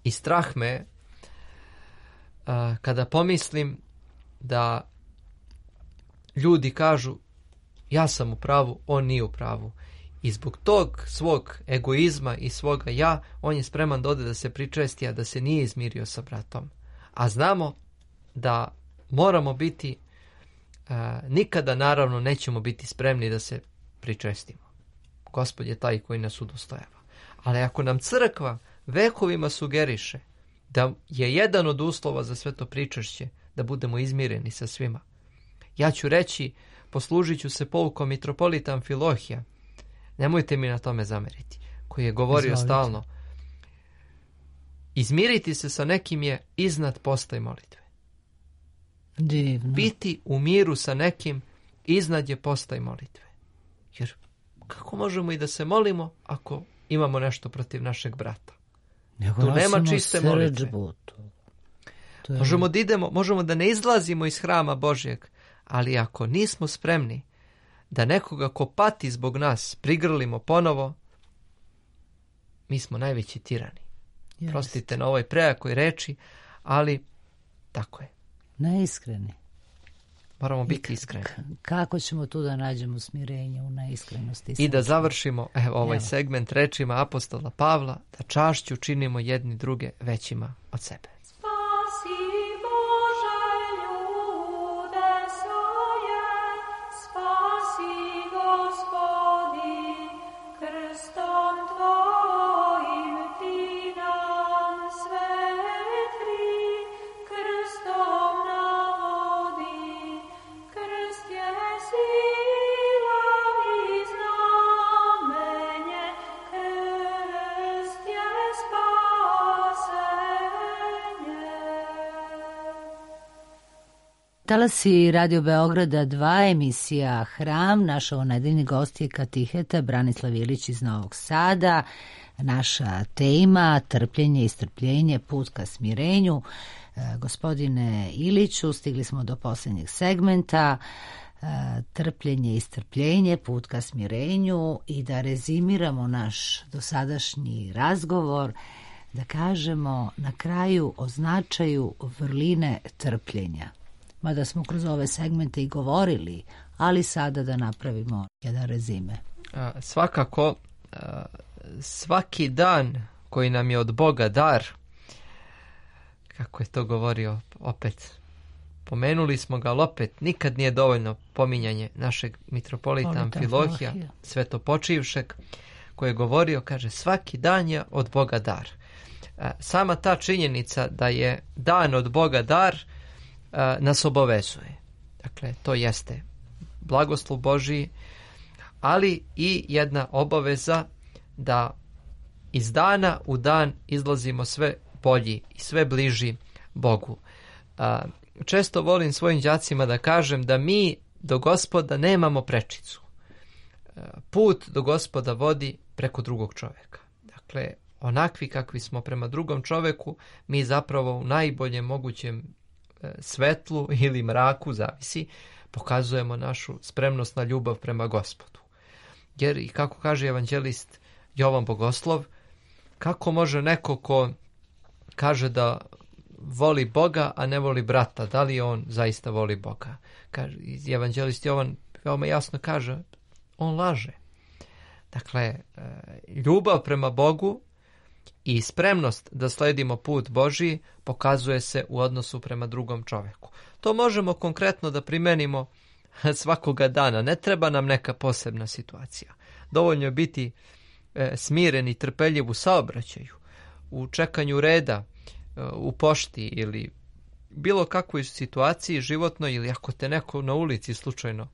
i strah me a, kada pomislim da ljudi kažu ja sam u pravu, on nije u pravu. I zbog tog svog egoizma i svoga ja, on je spreman da ode da se pričesti, a da se nije izmirio sa bratom. A znamo da moramo biti, a, nikada naravno nećemo biti spremni da se pričestimo. Gospod je taj koji nas udostojava. Ali ako nam crkva vekovima sugeriše da je jedan od uslova za sve to pričešće da budemo izmireni sa svima, ja ću reći, poslužit ću se poukom mitropolita Amfilohija, nemojte mi na tome zameriti, koji je govorio Izvolite. stalno, izmiriti se sa nekim je iznad posta i molitve. Divno. Biti u miru sa nekim iznad je posta i molitve. Jer kako možemo i da se molimo ako imamo nešto protiv našeg brata? Nego tu nema nosimo čiste molitve. srdžbu, to- to je- Možemo da idemo, možemo da ne izlazimo iz hrama Božjeg, ali ako nismo spremni da nekoga ko pati zbog nas prigrlimo ponovo, mi smo najveći tirani. Jest. Prostite na ovoj prejakoj reči, ali tako je. Neiskreni. Moramo biti iskreni. K- Kako ćemo tu da nađemo smirenje u neiskrenosti? I da srca? završimo evo, ovaj Evo. segment rečima apostola Pavla, da čašću činimo jedni druge većima od sebe. Spasi Bože ljude svoje, spasi Gospodi, krstom Tvojim Ti nam svetli, krstom navodi, krst je sila i znamenje, krst je spasenje. Talasi Radio Beograda dva, emisija Hram. Naš ovonedeljni gost je katiheta Branislav Ilić iz Novog Sada. Naša tema trpljenje i strpljenje, put ka smirenju. E, gospodine Iliću, stigli smo do posljednjeg segmenta. E, trpljenje i strpljenje, put ka smirenju, i da rezimiramo naš dosadašnji razgovor, da kažemo na kraju o značaju vrline trpljenja. Mada smo kroz ove segmente i govorili, ali sada da napravimo jedan rezime. A, svakako, a, svaki dan koji nam je od Boga dar, kako je to govorio opet, pomenuli smo ga, ali opet nikad nije dovoljno pominjanje našeg mitropolita Politan Amfilohija, Amfilohija. svetopočivšeg, koji je govorio, kaže, svaki dan je od Boga dar. A, sama ta činjenica da je dan od Boga dar a, nas obavezuje. Dakle, to jeste blagoslov Božiji, ali i jedna obaveza da iz dana u dan izlazimo sve bolji i sve bliži Bogu. A, često volim svojim đacima da kažem da mi do Gospoda nemamo prečicu. A, put do Gospoda vodi preko drugog čovjeka. Dakle, onakvi kakvi smo prema drugom čovjeku, mi zapravo u najboljem mogućem e, svetlu ili mraku, zavisi, pokazujemo našu spremnost na ljubav prema Gospodu. Jer, i kako kaže evanđelist Jovan Bogoslov, kako može neko ko kaže da voli Boga, a ne voli brata, da li on zaista voli Boga? Kaže, evanđelist Jovan veoma jasno kaže, on laže. Dakle, ljubav prema Bogu i spremnost da sledimo put Božiji pokazuje se u odnosu prema drugom čovjeku. To možemo konkretno da primenimo svakoga dana. Ne treba nam neka posebna situacija. Dovoljno je biti e, smiren i trpeljiv u saobraćaju, u čekanju reda, e, u pošti ili bilo kakvoj situaciji životnoj, ili ako te neko na ulici slučajno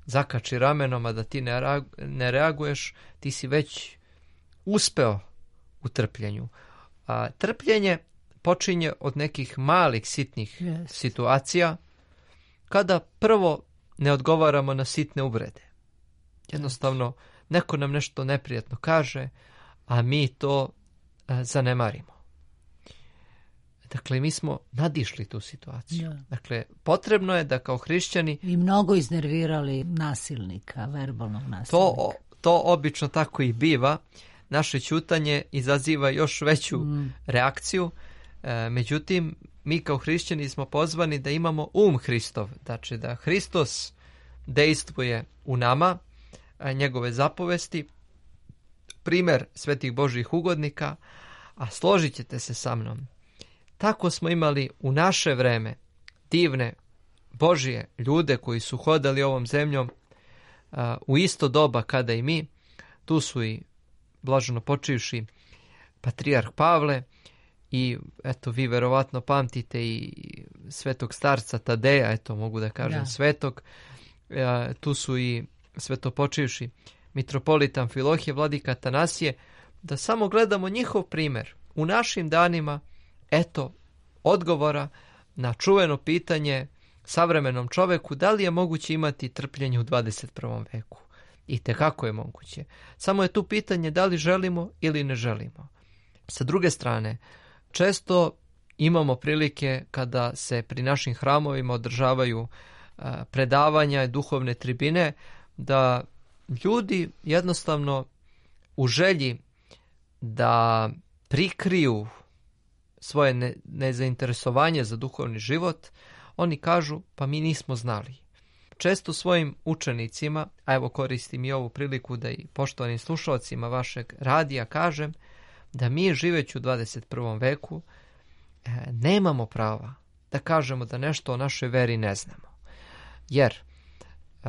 zakači ramenom, a da ti ne, reag, ne reaguješ, ti si već uspeo u trpljenju. A trpljenje počinje od nekih malih, sitnih Yes. situacija, kada prvo ne odgovaramo na sitne uvrede. Jednostavno, neko nam nešto neprijatno kaže, a mi to a, zanemarimo. Dakle, mi smo nadišli tu situaciju. Ja. Dakle, potrebno je da kao hrišćani I mnogo iznervirali nasilnika, verbalnog nasilnika. to, to obično tako i biva. Naše ćutanje izaziva još veću Mm. reakciju. E, međutim, mi kao hrišćani smo pozvani da imamo um Hristov. Znači da Hristos dejstvuje u nama, a njegove zapovesti, primer svetih Božjih ugodnika, a složit ćete se sa mnom. Tako smo imali u naše vreme divne Božje ljude koji su hodali ovom zemljom a, u isto doba kada i mi. Tu su i blaženo počivši patrijarh Pavle i eto vi verovatno pamtite i svetog starca Tadeja, eto mogu da kažem Da. svetog. E, tu su i svetopočivši mitropolit Amfilohije, vladika Atanasije, da samo gledamo njihov primer u našim danima, eto odgovora na čuveno pitanje savremenom čoveku, da li je moguće imati trpljenje u dvadeset prvom veku? I tekako je moguće. Samo je tu pitanje da li želimo ili ne želimo. Sa druge strane, često imamo prilike kada se pri našim hramovima održavaju a, predavanja i duhovne tribine, da ljudi jednostavno u želji da prikriju svoje ne, nezainteresovanje za duhovni život, oni kažu pa mi nismo znali. Često svojim učenicima, a evo koristim i ovu priliku da i poštovanim slušalcima vašeg radija kažem, da mi živeći u dvadeset prvom veku e, nemamo prava da kažemo da nešto o našoj veri ne znamo. Jer e,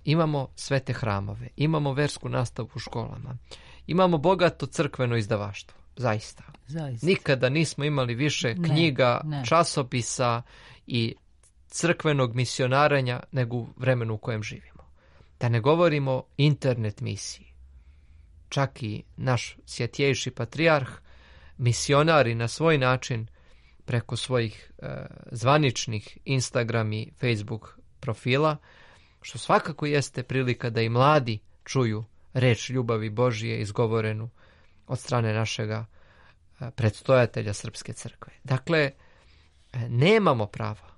imamo svete hramove, imamo versku nastavu u školama, imamo bogato crkveno izdavaštvo, zaista. Zaista. Nikada nismo imali više Ne, knjiga, ne. časopisa i crkvenog misionaranja nego u vremenu u kojem živimo. Da ne govorimo internet misiji. Čak i naš svjetjejši patrijarh, misionari na svoj način preko svojih e, zvaničnih Instagram i Facebook profila, što svakako jeste prilika da i mladi čuju reč ljubavi Božije izgovorenu od strane našega e, predstojatelja Srpske crkve. Dakle, e, nemamo prava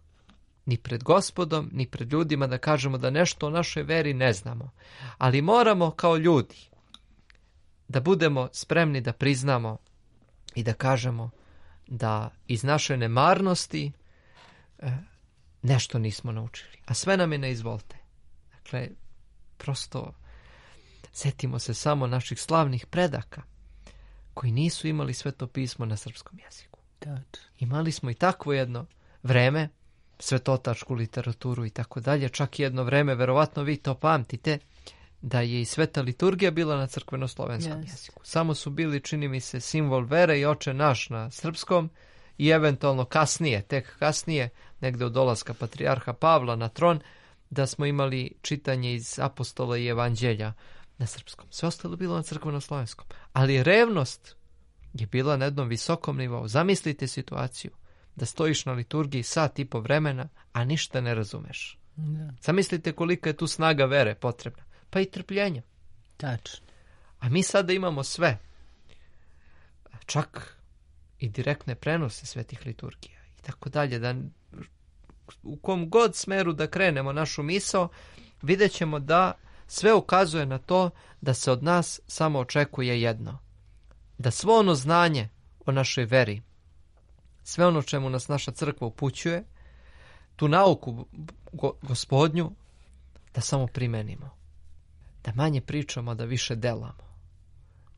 ni pred Gospodom, ni pred ljudima da kažemo da nešto o našoj veri ne znamo. Ali moramo kao ljudi da budemo spremni da priznamo i da kažemo da iz naše nemarnosti e, nešto nismo naučili. A sve nam je ne izvolte. Dakle, prosto setimo se samo naših slavnih predaka koji nisu imali Sveto pismo na srpskom jeziku. Tačno. Imali smo i takvo jedno vreme, svetotačku literaturu i tako dalje, čak i jedno vreme, verovatno vi to pamtite, da je i sveta liturgija bila na crkveno-slovenskom Jest. jeziku. Samo su bili, čini mi se, simbol vere i Oče naš na srpskom i eventualno kasnije, tek kasnije, negde od dolaska patrijarha Pavla na tron, da smo imali čitanje iz apostola i evanđelja na srpskom. Sve ostalo bilo na crkveno-slovenskom. Ali revnost je bila na jednom visokom nivou. Zamislite situaciju da stojiš na liturgiji sat i po vremena, a ništa ne razumeš. Da. Zamislite kolika je tu snaga vere potrebna. Pa i trpljenja. Tačno. A mi sada imamo sve. Čak i direktne prenose svetih liturgija i tako dalje. Da u kom god smeru da krenemo našu misao, vidjet ćemo da sve ukazuje na to da se od nas samo očekuje jedno. Da svo ono znanje o našoj veri, sve ono čemu nas naša crkva upućuje, tu nauku go, gospodnju, da samo primenimo. Da manje pričamo, da više delamo.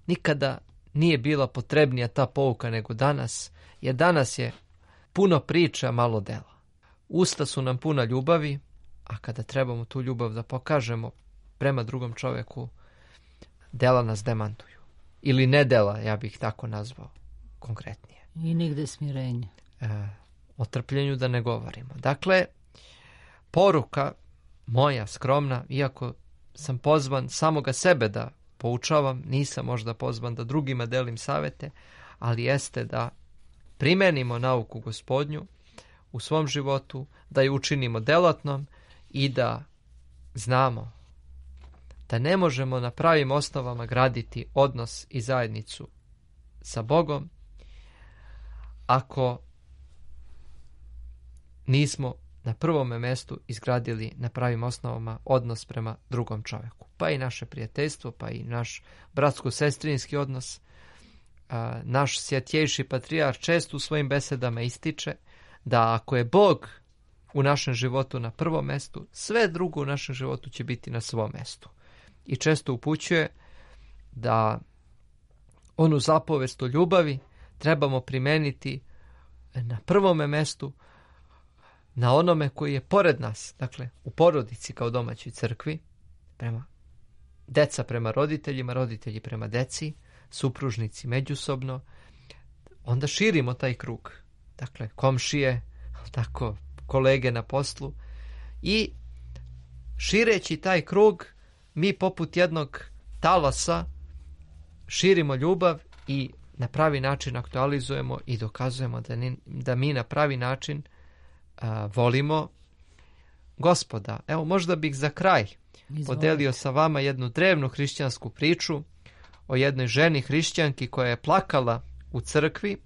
Nikada nije bila potrebnija ta pouka nego danas, jer danas je puno priča, malo dela. Usta su nam puna ljubavi, a kada trebamo tu ljubav da pokažemo prema drugom čoveku, dela nas demantuju. Ili ne dela, ja bih tako nazvao konkretnije. I nigde smirenja. E, o trpljenju da ne govorimo. Dakle, poruka moja skromna, iako sam pozvan samoga sebe da poučavam, nisam možda pozvan da drugima delim savete, ali jeste da primenimo nauku gospodnju u svom životu, da ju učinimo delatnom i da znamo da ne možemo na pravim osnovama graditi odnos i zajednicu sa Bogom ako nismo na prvome mestu izgradili na pravim osnovama odnos prema drugom čoveku. Pa i naše prijateljstvo, pa i naš bratsko-sestrinski odnos. A, naš svjetjejši patrijarh često u svojim besedama ističe da ako je Bog u našem životu na prvom mestu, sve drugo u našem životu će biti na svom mestu. I često upućuje da onu zapovest o ljubavi trebamo primeniti na prvome mestu, na onome koji je pored nas, dakle u porodici kao domaćoj crkvi, prema deca prema roditeljima, roditelji prema deci, supružnici međusobno, onda širimo taj krug. Dakle, komšije, tako, kolege na poslu i šireći taj krug, mi poput jednog talasa širimo ljubav i na pravi način aktualizujemo i dokazujemo da, ni, da mi na pravi način a, volimo Gospoda. Evo, možda bih za kraj Izvolite. podelio sa vama jednu drevnu hrišćansku priču o jednoj ženi hrišćanki koja je plakala u crkvi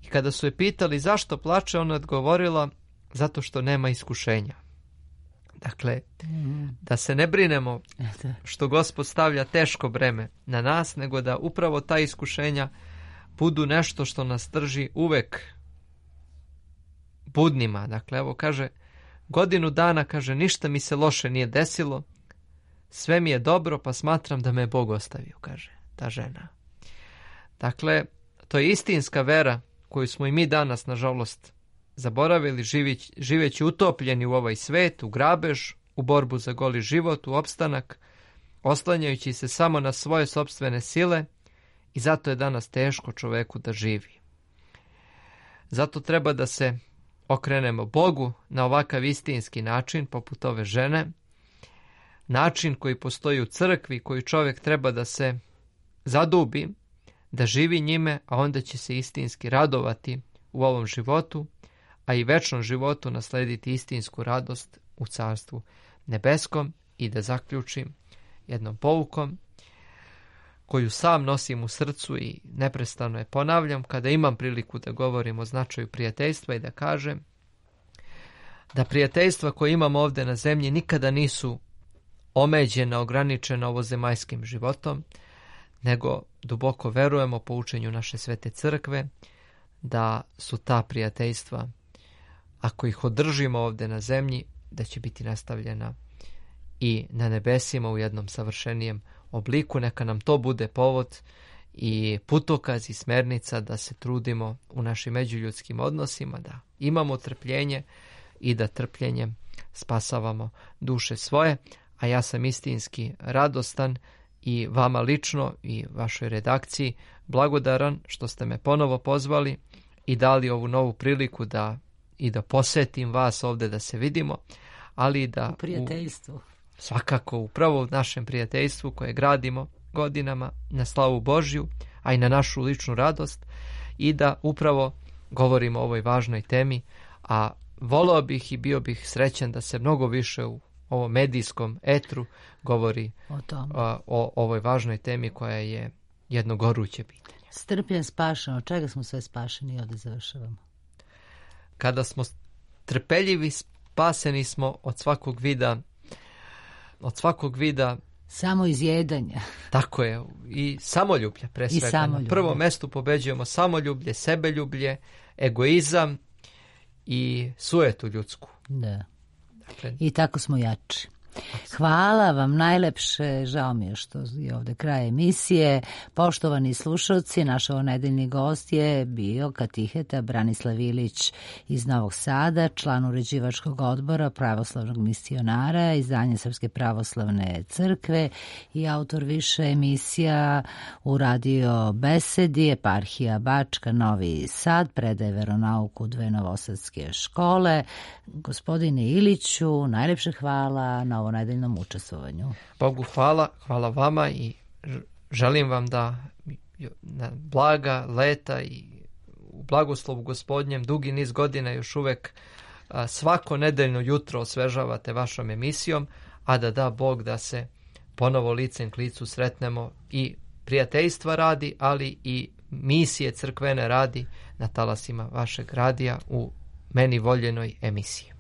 i kada su je pitali zašto plače, ona je odgovorila zato što nema iskušenja. Dakle, Mhm. da se ne brinemo Eto. što Gospod stavlja teško breme na nas, nego da upravo ta iskušenja budu nešto što nas drži uvek budnima. Dakle, evo kaže, godinu dana, kaže, ništa mi se loše nije desilo, sve mi je dobro, pa smatram da me je Bog ostavio, kaže ta žena. Dakle, to je istinska vera koju smo i mi danas, nažalost, zaboravili, živeći, živeći utopljeni u ovaj svet, u grabež, u borbu za goli život, u opstanak, oslanjajući se samo na svoje sopstvene sile, i zato je danas teško čoveku da živi. Zato treba da se okrenemo Bogu na ovakav istinski način, poput ove žene, način koji postoji u crkvi, koji čovjek treba da se zadubi, da živi njime, a onda će se istinski radovati u ovom životu, a i večnom životu naslediti istinsku radost u carstvu nebeskom. I da zaključim jednom poukom koju sam nosim u srcu i neprestano je ponavljam kada imam priliku da govorim o značaju prijateljstva, i da kažem da prijateljstva koje imamo ovdje na zemlji nikada nisu omeđena, ograničena ovozemaljskim životom, nego duboko verujemo po učenju naše svete crkve da su ta prijateljstva, ako ih održimo ovdje na zemlji, da će biti nastavljena i na nebesima u jednom savršenijem obliku. Neka nam to bude povod i putokaz i smernica da se trudimo u našim međuljudskim odnosima, da imamo trpljenje i da trpljenjem spasavamo duše svoje. A ja sam istinski radostan i vama lično i vašoj redakciji blagodaran što ste me ponovo pozvali i dali ovu novu priliku da i da posjetim vas ovdje, da se vidimo, ali i da U prijateljstvu. U, svakako upravo u našem prijateljstvu koje gradimo godinama na slavu Božju, a i na našu ličnu radost, i da upravo govorimo o ovoj važnoj temi, a voleo bih i bio bih srećan da se mnogo više u ovom medijskom etru govori O tom. a, o ovoj važnoj temi koja je jedno goruće pitanje. Strpljen, spašen. Od čega smo sve spašeni? Ovdje završavamo. Kada smo trpeljivi, spaseni smo od svakog vida, od svakog vida, Samo izjedanja. tako je, i samoljublja pre I svega. Na samoljublje. prvom mestu pobeđujemo samoljublje, sebeljublje, egoizam i sujetu ljudsku. Da. Dakle, I tako smo jači. Hvala vam najlepše, žao mi je što je ovdje kraj emisije. Poštovani slušalci, naš ovonedeljni gost je bio katiheta Branislav Ilić iz Novog Sada, član uređivačkog odbora pravoslavnog misionara, izdanje Srpske pravoslavne crkve i autor više emisija u radio Besedi, eparhija Bačka, Novi Sad, predaje veronauku dve novosadske škole. Gospodine Iliću, najlepše hvala na ovonedeljnom učestvovanju. Bogu hvala, hvala vama i ž- želim vam da na blaga leta i u blagoslovu Gospodnjem dugi niz godina još uvek a, svako nedeljno jutro osvežavate vašom emisijom, a da da Bog da se ponovo licem k licu sretnemo i prijateljstva radi, ali i misije crkvene radi na talasima vašeg radija u meni voljenoj emisiji.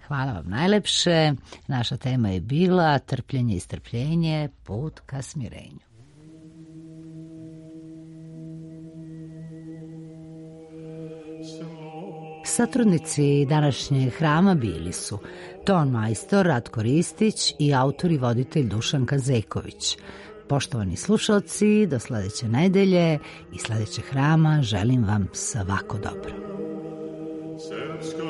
Hvala vam najlepše. Naša tema je bila trpljenje i strpljenje, put ka smirenju. Satrudnici današnjeg hrama bili su ton majstor Ratko Ristić i autor i voditelj Dušan Kazeković. Poštovani slušalci, do sledeće nedelje i sledećeg hrama želim vam svako dobro. Srpska